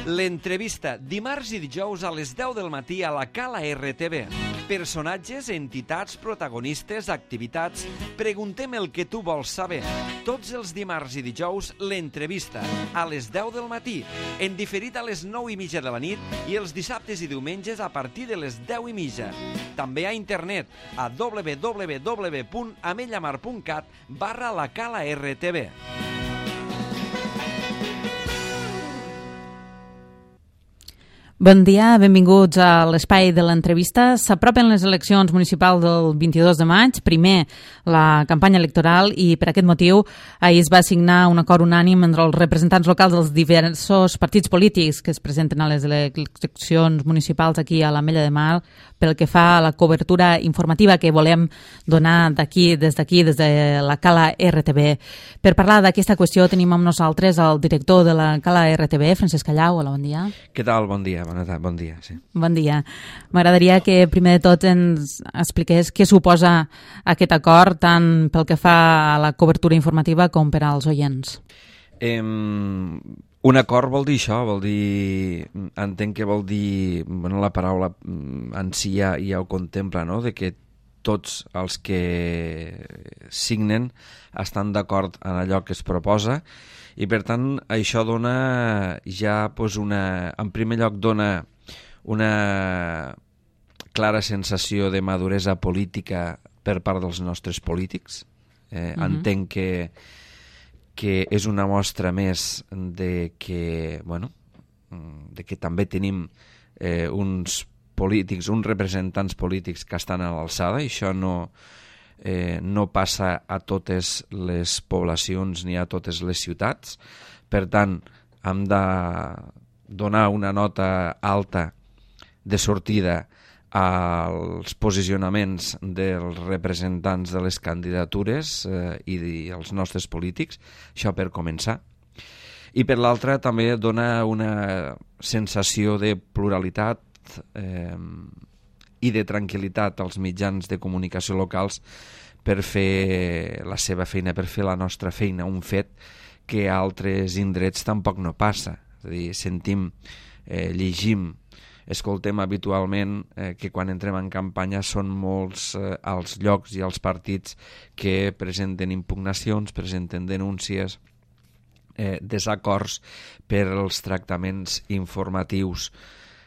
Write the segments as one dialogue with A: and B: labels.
A: L'entrevista, dimarts i dijous a les 10 del matí a la Cala RTV. Personatges, entitats, protagonistes, activitats... Preguntem el que tu vols saber. Tots els dimarts i dijous, l'entrevista, a les 10 del matí, en diferit a les 9:30 de la nit i els dissabtes i diumenges a partir de les 10:30. També a internet, a www.amellamar.cat/la Cala RTV.
B: Bon dia, benvinguts a l'espai de l'entrevista. S'apropen les eleccions municipals del 22 de maig, primer la campanya electoral, i per aquest motiu ahir es va signar un acord unànim entre els representants locals dels diversos partits polítics que es presenten a les eleccions municipals aquí a l'Ametlla de Mar pel que fa a la cobertura informativa que volem donar des de la Cala RTV. Per parlar d'aquesta qüestió tenim amb nosaltres el director de la Cala RTV, Francesc Callau. Hola, bon dia.
A: Què tal? Bon dia. Bon dia, sí.
B: Bon dia. M'agradaria que primer de tot ens expliqués què suposa aquest acord tant pel que fa a la cobertura informativa com per als oients.
A: Un acord vol dir això, entenc que vol dir, la paraula en si ja ho contempla, no?, de que tots els que signen estan d'acord en allò que es proposa. I per tant això dona ja en primer lloc dona una clara sensació de maduresa política per part dels nostres polítics. Entenc que és una mostra més de que també tenim uns polítics, uns representants polítics que estan a l'alçada, i això no passa a totes les poblacions ni a totes les ciutats. Per tant, hem de donar una nota alta de sortida als posicionaments dels representants de les candidatures i els nostres polítics, això per començar. I per l'altra també dona una sensació de pluralitat i de tranquil·litat als mitjans de comunicació locals per fer la seva feina, per fer la nostra feina, un fet que a altres indrets tampoc no passa. És a dir, sentim, llegim, escoltem habitualment que quan entrem en campanya són molts els llocs i els partits que presenten impugnacions, presenten denúncies, desacords per als tractaments informatius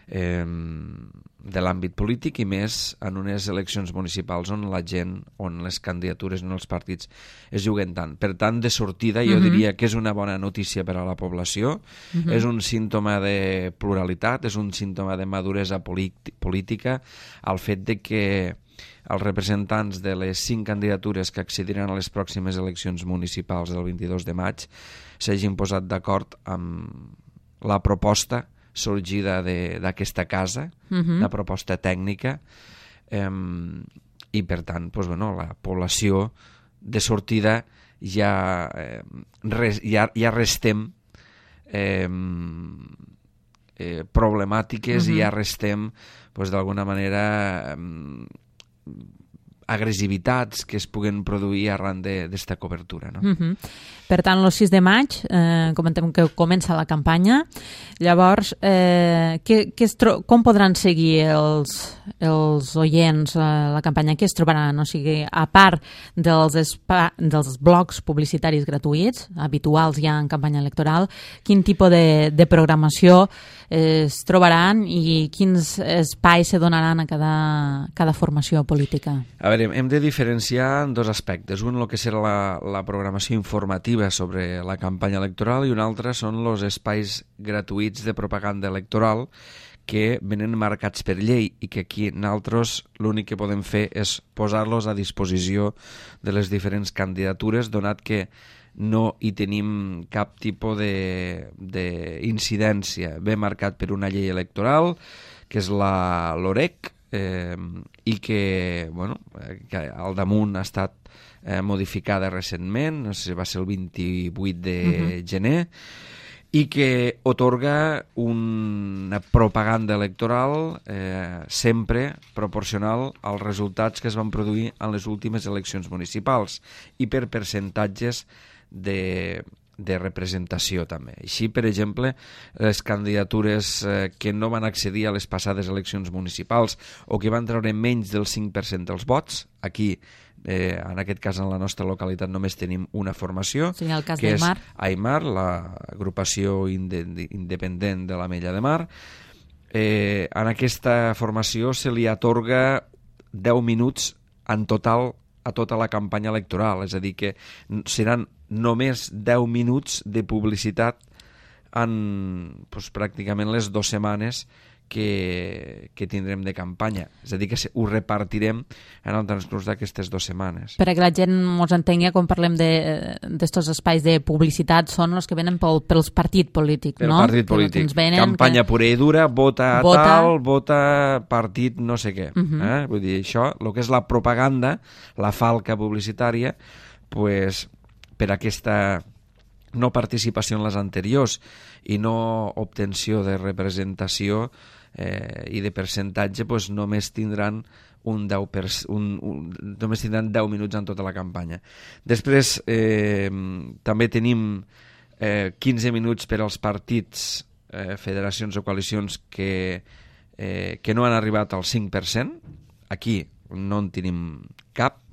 A: de l'àmbit polític, i més en unes eleccions municipals on la gent, on les candidatures, on els partits es juguen tant. Per tant, de sortida jo diria que és una bona notícia per a la població, és un símptoma de pluralitat, és un símptoma de maduresa política, el fet de que els representants de les 5 candidatures que accediran a les pròximes eleccions municipals del 22 de maig s'hagin posat d'acord amb la proposta sorgida d'aquesta casa, la proposta tècnica, i per tant la població de sortida ja restem problemàtiques i ja restem d'alguna manera agressivitats que es puguen produir arran d'esta cobertura, no?
B: Per tant, el 6 de maig comentem que comença la campanya. Llavors, com podran seguir els oients la campanya? Què es trobaran? O sigui, a part dels blocs publicitaris gratuïts, habituals ja en campanya electoral, quin tipus de programació es trobaran i quins espais se donaran a cada formació política?
A: A veure, hem de diferenciar en dos aspectes. Un, el que serà la programació informativa sobre la campanya electoral, i un altre són els espais gratuïts de propaganda electoral que venen marcats per llei i que aquí nosaltres l'únic que podem fer és posar-los a disposició de les diferents candidatures, donat que no hi tenim cap tipus d'incidència. Ve marcat per una llei electoral, que és la LOREC, i que al damunt ha estat modificada recentment, no sé si va ser el 28 de gener, i que otorga una propaganda electoral sempre proporcional als resultats que es van produir en les últimes eleccions municipals i per percentatges de representació també. Així, per exemple, les candidatures que no van accedir a les passades eleccions municipals o que van treure menys del 5% dels vots, aquí, en aquest cas en la nostra localitat només tenim una formació,
B: sí, el cas
A: que és
B: d'Aimar.
A: Aimar, l'agrupació independent de l'Ametlla de Mar. En aquesta formació se li atorga 10 minuts en total a tota la campanya electoral, és a dir, que seran només 10 minuts de publicitat en pràcticament les 2 setmanes que tindrem de campanya. És a dir, que ho repartirem en el transcurs d'aquestes 2 setmanes.
B: Per a que la gent ens entengui, quan parlem d'estos espais de publicitat, són els que venen pels partits polítics, no?
A: Pel partit polític. Campanya pura i dura, vota tal, vota partit no sé què. Vull dir, això, el que és la propaganda, la falca publicitària, pues, per aquesta no participació en les anteriors i no obtenció de representació i de percentatge, pues, només tindran només tindran 10 minuts en tota la campanya. Després també tenim 15 minuts per als partits, federacions o coalicions que no han arribat al 5%. Aquí no en tenim cap.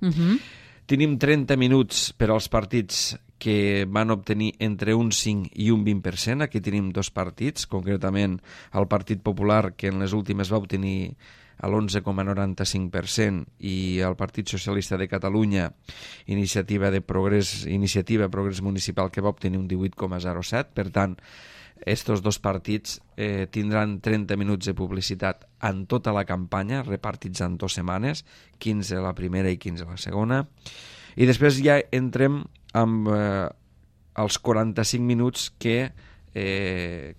A: Tenim 30 minuts per als partits que van obtenir entre un 5 i un 20%. Aquí tenim 2 partits, concretament el Partit Popular, que en les últimes va obtenir l'11,95%, i el Partit Socialista de Catalunya, Iniciativa Progrés Municipal, que va obtenir un 18,07%. Per tant, estos 2 partits tindran 30 minuts de publicitat en tota la campanya, repartits en 2 setmanes, 15 la primera i 15 la segona. I després ja entrem amb els 45 minuts que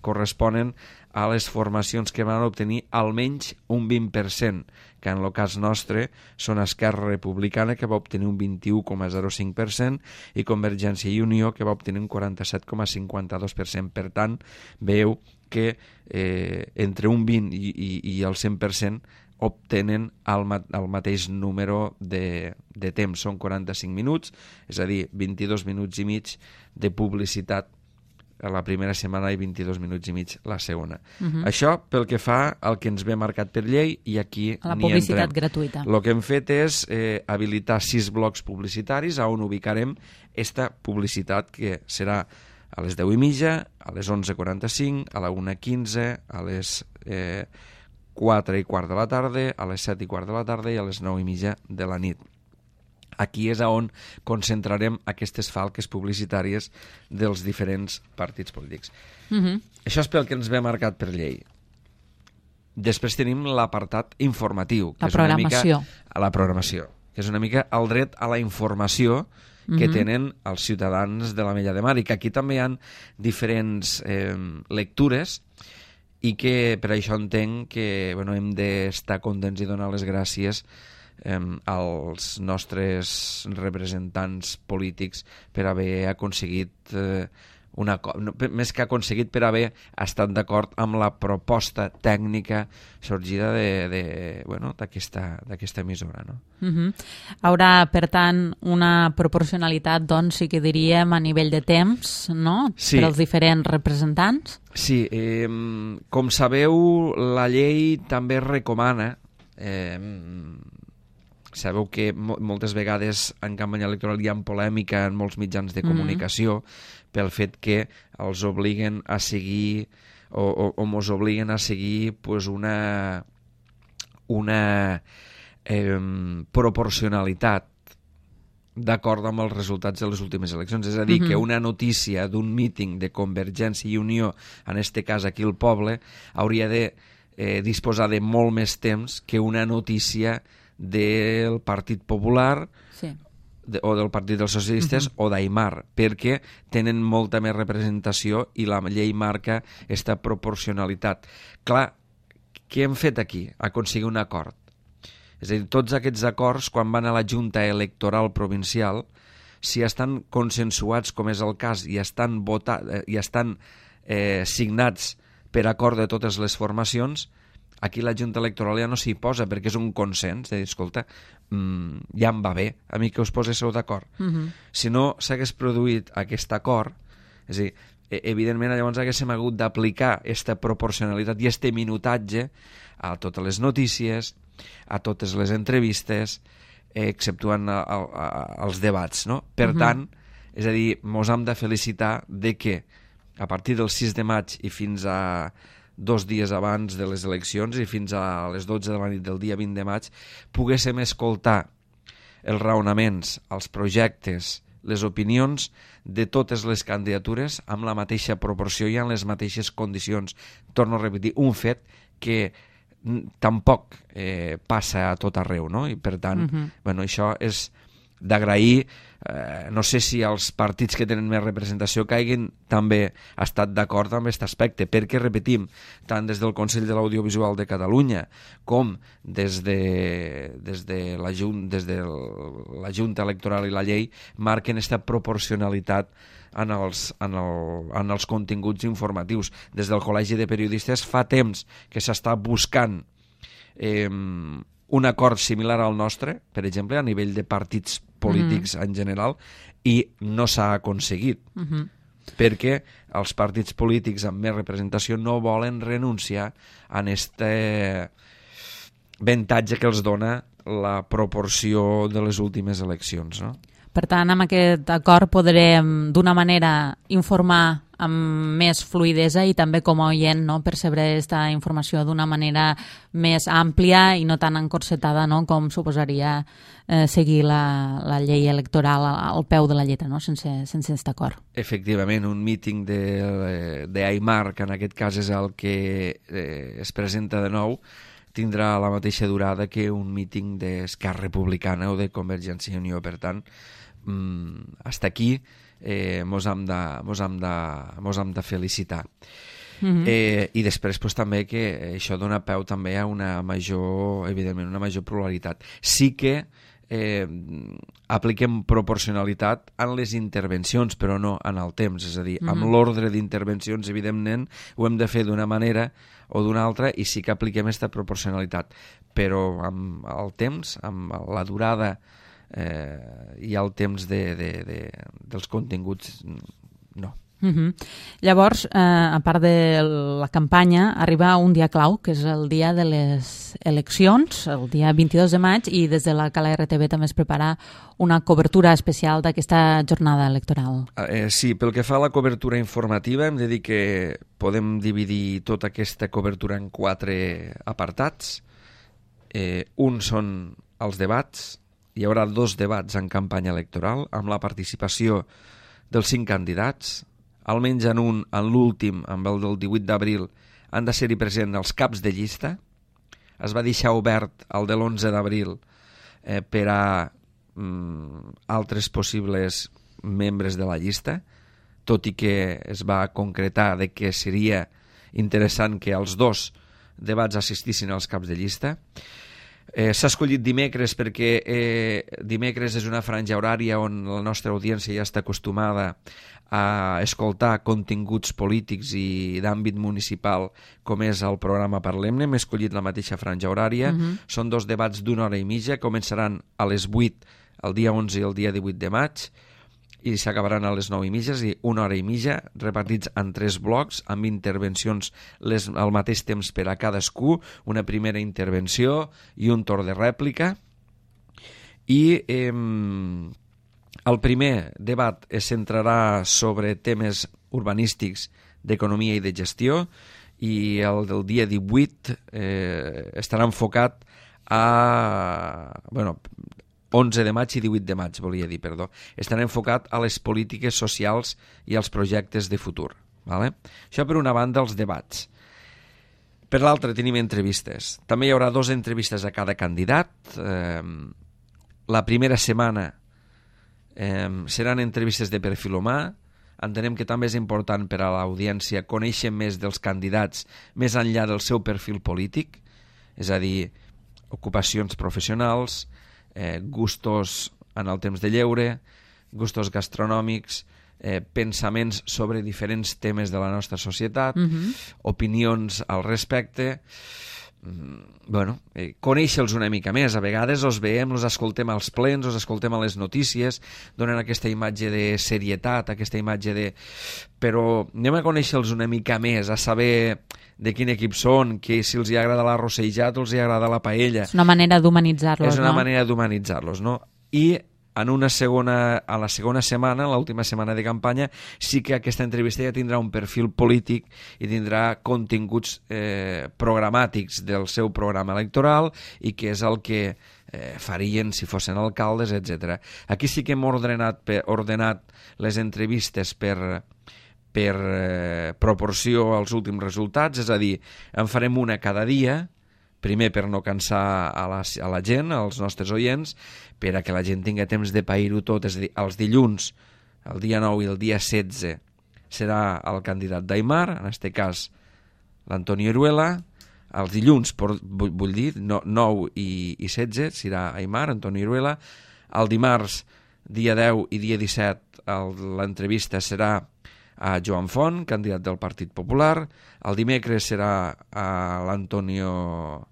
A: corresponen a les formacions que van obtenir almenys un 20%, que en el cas nostre són Esquerra Republicana, que va obtenir un 21,05%, i Convergència i Unió, que va obtenir un 47,52%. Per tant, veieu que entre un 20 i el 100% obtenen el mateix número de temps. Són 45 minuts, és a dir, 22 minuts i mig de publicitat a la primera setmana i 22 minuts i mig la segona. Això pel que fa al que ens ve marcat per llei, i aquí
B: a la publicitat gratuïta.
A: El que hem fet és habilitar 6 blocs publicitaris on ubicarem esta publicitat, que serà a les 10:30, a les 11:45, a la 1:15, a les 4:15 de la tarda, a les 7:15 de la tarda i a les 9:30 de la nit. Aquí és on concentrarem aquestes falques publicitàries dels diferents partits polítics. Això és pel que ens ve marcat per llei. Després tenim l'apartat informatiu, que és una mica la programació, que és una mica el dret a la informació que tenen els ciutadans de l'Ametlla de Mar, i que aquí també hi ha diferents lectures, i que per això entenc que hem d'estar contents i donar les gràcies als nostres representants polítics per haver aconseguit més que aconseguit, per haver estat d'acord amb la proposta tècnica sorgida d'aquesta emissora, no?
B: Haurà, per tant, una proporcionalitat, doncs, sí que diríem, a nivell de temps, no?
A: Sí.
B: Per als diferents representants.
A: Sí, com sabeu, la llei també recomana, sabeu que moltes vegades en campanya electoral hi ha polèmica en molts mitjans de comunicació pel fet que els obliguen a seguir o mos obliguen a seguir una proporcionalitat d'acord amb els resultats de les últimes eleccions. És a dir, que una notícia d'un míting de Convergència i Unió, en este cas aquí al poble, hauria de disposar de molt més temps que una notícia del Partit Popular o del Partit dels Socialistes o d'Aimar, perquè tenen molta més representació i la llei marca aquesta proporcionalitat. Clar, què hem fet aquí? Aconseguir un acord. És a dir, tots aquests acords, quan van a la Junta Electoral Provincial, si estan consensuats, com és el cas, i estan signats per acord de totes les formacions, aquí la Junta Electoral ja no s'hi posa, perquè és un consens de dir, escolta, ja em va bé a mi que us poséssiu d'acord. Si no s'hagués produït aquest acord, És a dir, evidentment llavors haguéssim hagut d'aplicar aquesta proporcionalitat i este minutatge a totes les notícies, a totes les entrevistes, exceptuant els debats, no? Per tant, és a dir, mos hem de felicitar de que a partir del 6 de maig i fins a 2 dies abans de les eleccions i fins a les 12 de la nit del dia 20 de maig poguéssim escoltar els raonaments, els projectes, les opinions de totes les candidatures amb la mateixa proporció i en les mateixes condicions. Torno a repetir, un fet que tampoc passa a tot arreu, no? I per tant, això és d'agrair. No sé si els partits que tenen més representació caiguin també ha estat d'acord amb aquest aspecte, perquè, repetim, tant des del Consell de l'Audiovisual de Catalunya com des de la Junta Electoral i la llei marquen aquesta proporcionalitat en els continguts informatius. Des del Col·legi de Periodistes fa temps que s'està buscant un acord similar al nostre, per exemple, a nivell de partits polítics en general, i no s'ha aconseguit, perquè els partits polítics amb més representació no volen renunciar a aquest avantatge que els dona la proporció de les últimes eleccions, no?
B: Per tant, amb aquest acord podrem d'una manera informar amb més fluïdesa i també com a oient, no, percebre aquesta informació d'una manera més àmplia i no tan encorsetada, no, com suposaria seguir la llei electoral al peu de la lletra, no, sense aquest acord.
A: Efectivament, un míting d'Aimar, que en aquest cas és el que es presenta de nou, tindrà la mateixa durada que un míting d'Esquerra Republicana o de Convergència i Unió. Per tant, hasta aquí mos hem de felicitar. I després també que això dona peu també a una major pluralitat. Sí que apliquem proporcionalitat en les intervencions, però no en el temps, és a dir, amb l'ordre d'intervencions, evidentment, ho hem de fer d'una manera o d'una altra, i sí que apliquem aquesta proporcionalitat, però amb el temps, amb la durada i el temps dels continguts, no.
B: Llavors, a part de la campanya, arriba un dia clau, que és el dia de les eleccions, el dia 22 de maig, i des de la Cala RTV també es prepara una cobertura especial d'aquesta jornada electoral.
A: Sí, pel que fa a la cobertura informativa, hem de dir que podem dividir tota aquesta cobertura en 4 apartats. Un són els debats. Hi haurà 2 debats en campanya electoral, amb la participació dels 5 candidats. Almenys en l'últim, amb el del 18 d'abril, han de ser-hi presents els caps de llista. Es va deixar obert el de l'11 d'abril per a altres possibles membres de la llista, tot i que es va concretar de que seria interessant que els 2 debats assistissin als caps de llista. S'ha escollit dimecres perquè dimecres és una franja horària on la nostra audiència ja està acostumada a escoltar continguts polítics i d'àmbit municipal, com és el programa Parlem-ne. Hem escollit la mateixa franja horària. Són 2 debats d'1 hora i mitja, començaran a les 8 el dia 11 i el dia 18 de maig i s'acabaran a les 9 i mitja, és a dir, 1 hora i mitja, repartits en 3 blocs, amb intervencions al mateix temps per a cadascú, una primera intervenció i un torn de rèplica. I el primer debat es centrarà sobre temes urbanístics, d'economia i de gestió, i el del dia 18 estarà enfocat a... 11 de maig i 18 de maig, volia dir, perdó. Estarà enfocat a les polítiques socials i als projectes de futur. Vale? Això per una banda, els debats. Per l'altra, tenim entrevistes. També hi haurà 2 entrevistes a cada candidat. La primera setmana seran entrevistes de perfil humà. Entenem que també és important per a l'audiència conèixer més dels candidats més enllà del seu perfil polític, és a dir, ocupacions professionals, gustos en el temps de lleure, gustos gastronòmics, pensaments sobre diferents temes de la nostra societat, opinions al respecte. conèixer-los una mica més. A vegades els veiem, els escoltem als plens, els escoltem a les notícies, donen aquesta imatge de serietat, aquesta imatge de... Però anem a conèixer-los una mica més, a saber de quin equip són, que si els agrada l'arrossejat o els agrada la paella.
B: És una manera d'humanitzar-los, no?
A: És una manera d'humanitzar-los, no? I a la segona setmana, l'última setmana de campanya, sí que aquesta entrevista ja tindrà un perfil polític i tindrà continguts programàtics del seu programa electoral i que és el que farien si fossin alcaldes, etc. Aquí sí que hem ordenat les entrevistes per proporció als últims resultats, és a dir, en farem una cada dia, primer per no cansar a la gent, als nostres oients, per a que la gent tingui temps de pair-ho tot. És a dir, els dilluns, el dia 9 i el dia 16, serà el candidat d'Aimar, en aquest cas l'Antonio Iruela. Els dilluns, vull dir, 9 i 16, serà Aimar, Antonio Iruela. El dimarts, dia 10 i dia 17, l'entrevista serà a Joan Font, candidat del Partit Popular. El dimecres serà a l'Antonio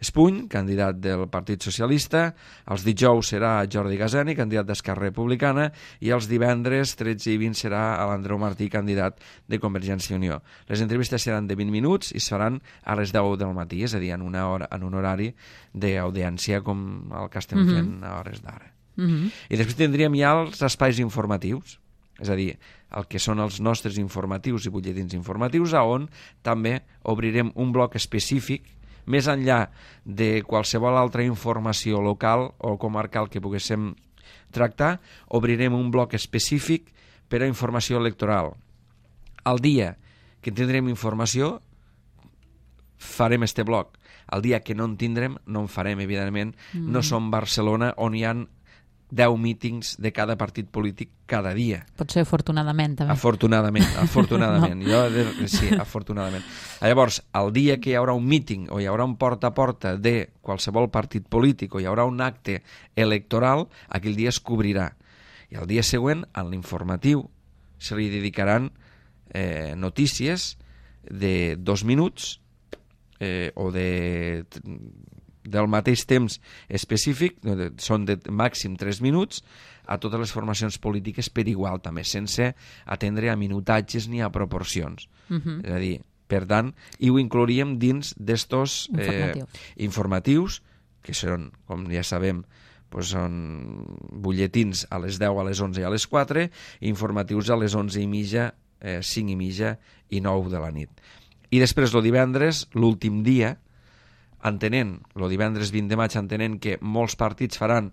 A: Espuny, candidat del Partit Socialista. Els dijous serà Jordi Gazani, candidat d'Esquerra Republicana, i els divendres 13 i 20 serà a l'Andreu Martí, candidat de Convergència i Unió. Les entrevistes seran de 20 minuts i es faran a les 10 del matí, és a dir, en un horari d'audiència com el que estem fent a hores d'ara. I després tindríem ja els espais informatius, és a dir, el que són els nostres informatius i butlletins informatius, on també obrirem un bloc específic més enllà de qualsevol altra informació local o comarcal que poguéssim tractar. Obrirem un bloc específic per a informació electoral. El dia que tindrem informació farem este bloc. El dia que no en tindrem no en farem, evidentment. No som Barcelona on hi ha 10 mítings de cada partit polític cada dia.
B: Potser afortunadament, també.
A: Afortunadament. No. Sí, afortunadament. Llavors, el dia que hi haurà un míting o hi haurà un porta a porta de qualsevol partit polític o hi haurà un acte electoral, aquell dia es cobrirà. I el dia següent, en l'informatiu, se li dedicaran notícies de 2 minuts o del mateix temps específic, són de màxim 3 minuts, a totes les formacions polítiques per igual també, sense atendre a minutatges ni a proporcions. És a dir, per tant, i ho inclouríem dins d'estos informatius, que són, com ja sabem, són butlletins a les 10, a les 11 i a les 4, i informatius a les 11 i mitja, 5 i mitja i 9 de la nit. I després, el divendres, l'últim dia, el divendres 20 de maig, entenent que molts partits faran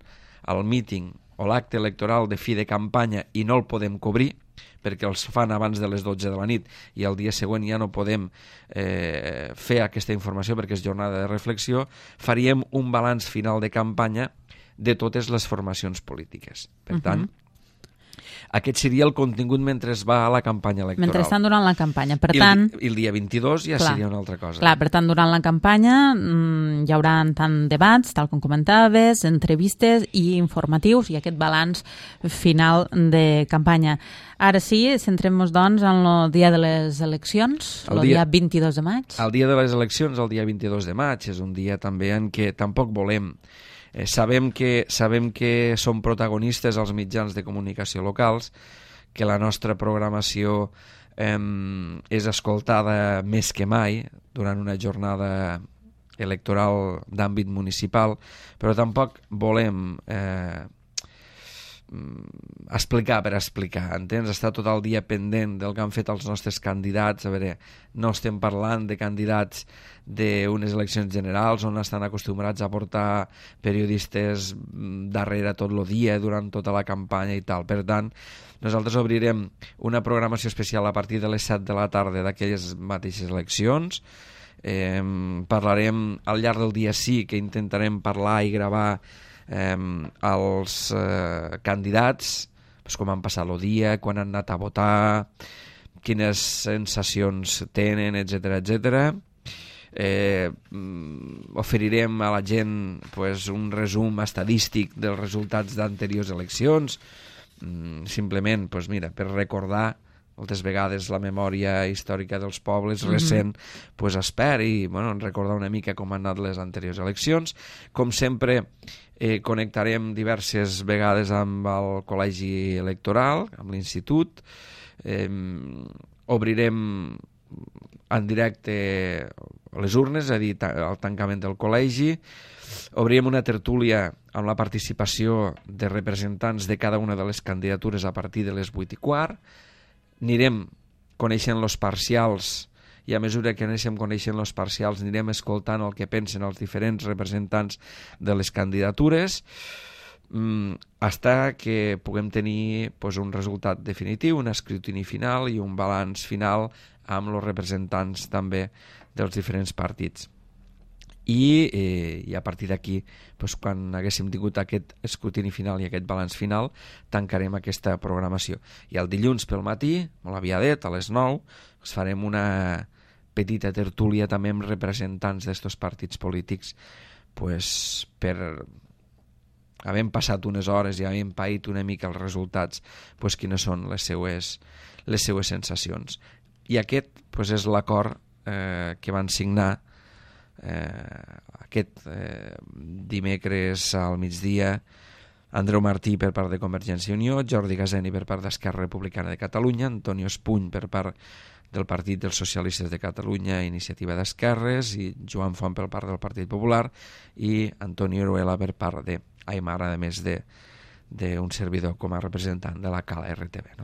A: el míting o l'acte electoral de fi de campanya i no el podem cobrir, perquè els fan abans de les 12 de la nit i el dia següent ja no podem fer aquesta informació perquè és jornada de reflexió, faríem un balanç final de campanya de totes les formacions polítiques. Per tant, aquest seria el contingut mentre es va a la campanya electoral.
B: Mentre estan durant la campanya. Per tant,
A: I el dia 22 ja seria una altra cosa.
B: Clar, per tant, durant la campanya hi haurà tant debats, tal com comentaves, entrevistes i informatius i aquest balanç final de campanya. Ara sí, centrem-nos, doncs, en el dia de les eleccions, el dia 22 de maig.
A: El dia de les eleccions, el dia 22 de maig, és un dia també en què tampoc volem... Sabem que som protagonistes als mitjans de comunicació locals, que la nostra programació és escoltada més que mai durant una jornada electoral d'àmbit municipal, però tampoc volem explicar per explicar, entens? Estar tot el dia pendent del que han fet els nostres candidats. A veure, no estem parlant de candidats d'unes eleccions generals on estan acostumbrats a portar periodistes darrere tot el dia durant tota la campanya i tal. Per tant, nosaltres obrirem una programació especial a partir de les 7 de la tarda d'aquelles mateixes eleccions. Parlarem al llarg del dia, sí que intentarem parlar i gravar els candidats, com han passat el dia, quan han anat a votar, quines sensacions tenen, etc. Oferirem a la gent un resum estadístic dels resultats d'anteriors eleccions, simplement per recordar moltes vegades la memòria històrica dels pobles recent pues es perd i ens recordar una mica com han anat les anteriors eleccions. Com sempre, connectarem diverses vegades amb el col·legi electoral, amb l'institut, obrirem en directe les urnes, és a dir, el tancament del col·legi, obrirem una tertúlia amb la participació de representants de cada una de les candidatures a partir de les 8:15, anirem coneixent els parcials i a mesura que anem coneixent els parcials anirem escoltant el que pensen els diferents representants de les candidatures fins que puguem tenir un resultat definitiu, un escrutini final i un balanç final amb els representants també dels diferents partits. I a partir d'aquí, quan haguéssim tingut aquest escrutini final i aquest balanç final, tancarem aquesta programació. I el dilluns pel matí, molt aviadet, a les 9, farem una petita tertúlia també amb representants d'estos partits polítics per havent passat unes hores i havent paït una mica els resultats, quines són les seues sensacions. I aquest és l'acord que van signar aquest dimecres al migdia Andreu Martí per part de Convergència i Unió, Jordi Gaseni per part d'Esquerra Republicana de Catalunya, Antonio Espuny per part del Partit dels Socialistes de Catalunya, Iniciativa d'Esquerres, i Joan Font per part del Partit Popular i Antonio Oruela per part d'Aimar, a més d'un servidor com a representant de la Cala RTV. No?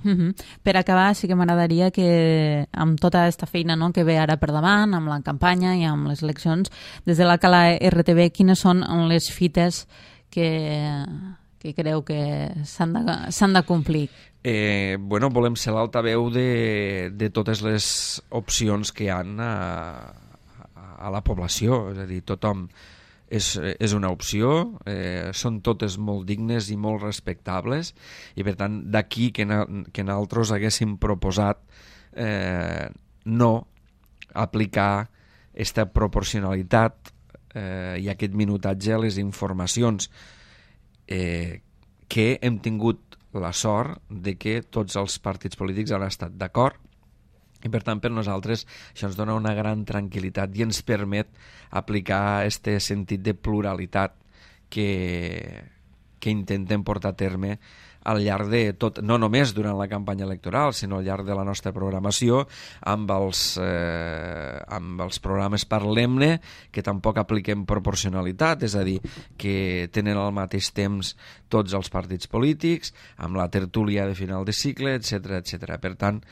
B: Per acabar, sí que m'agradaria que amb tota aquesta feina que ve ara per davant, amb la campanya i amb les eleccions, des de la Cala RTV, quines són les fites que creu que s'han de complir?
A: Volem ser l'altaveu de totes les opcions que hi ha a la població, és a dir, tothom és una opció, són totes molt dignes i molt respectables i per tant d'aquí que nosaltres haguéssim proposat no aplicar aquesta proporcionalitat i aquest minutatge a les informacions que hem tingut la sort de que tots els partits polítics han estat d'acord. I per tant per nosaltres això ens dona una gran tranquil·litat i ens permet aplicar aquest sentit de pluralitat que intentem portar a terme al llarg de tot, no només durant la campanya electoral, sinó al llarg de la nostra programació amb els programes Parlem-ne, que tampoc apliquem proporcionalitat, és a dir, que tenen al mateix temps tots els partits polítics, amb la tertúlia de final de cicle, etc. Per tant,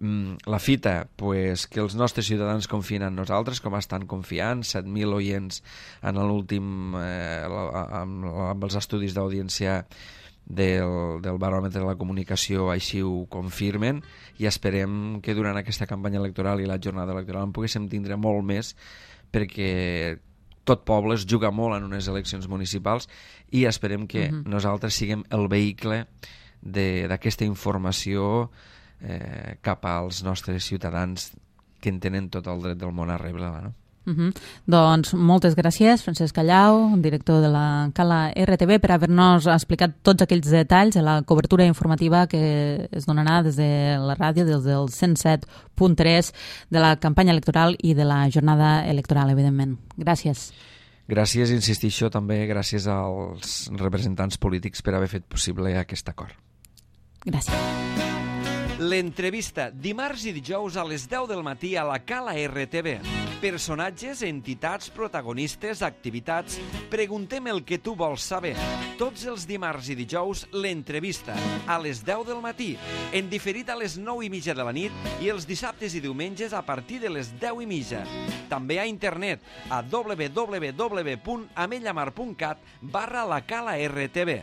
A: la fita, que els nostres ciutadans confien en nosaltres, com estan confiant, 7.000 oients en l'últim, amb els estudis d'audiència del baròmetre de la comunicació així ho confirmen, i esperem que durant aquesta campanya electoral i la jornada electoral en poguéssim tindre molt més, perquè tot poble es juga molt en unes eleccions municipals i esperem que nosaltres siguem el vehicle d'aquesta informació cap als nostres ciutadans que en tenen tot el dret del món a rebre-la, no?
B: Doncs moltes gràcies, Francesc Callau, director de la Cala RTV, per haver-nos explicat tots aquells detalls de la cobertura informativa que es donarà des de la ràdio, des del 107.3, de la campanya electoral i de la jornada electoral, evidentment. Gràcies.
A: Gràcies, insistisco, també gràcies als representants polítics per haver fet possible aquest acord.
B: Gràcies.
A: L'entrevista, dimarts i dijous a les 10 del matí a la Cala RTV. Personatges, entitats, protagonistes, activitats... Preguntem el que tu vols saber. Tots els dimarts i dijous, l'entrevista, a les 10 del matí, en diferit a les 9:30 de la nit i els dissabtes i diumenges a partir de les 10:30. També a internet a www.amellamar.cat/la Cala RTV.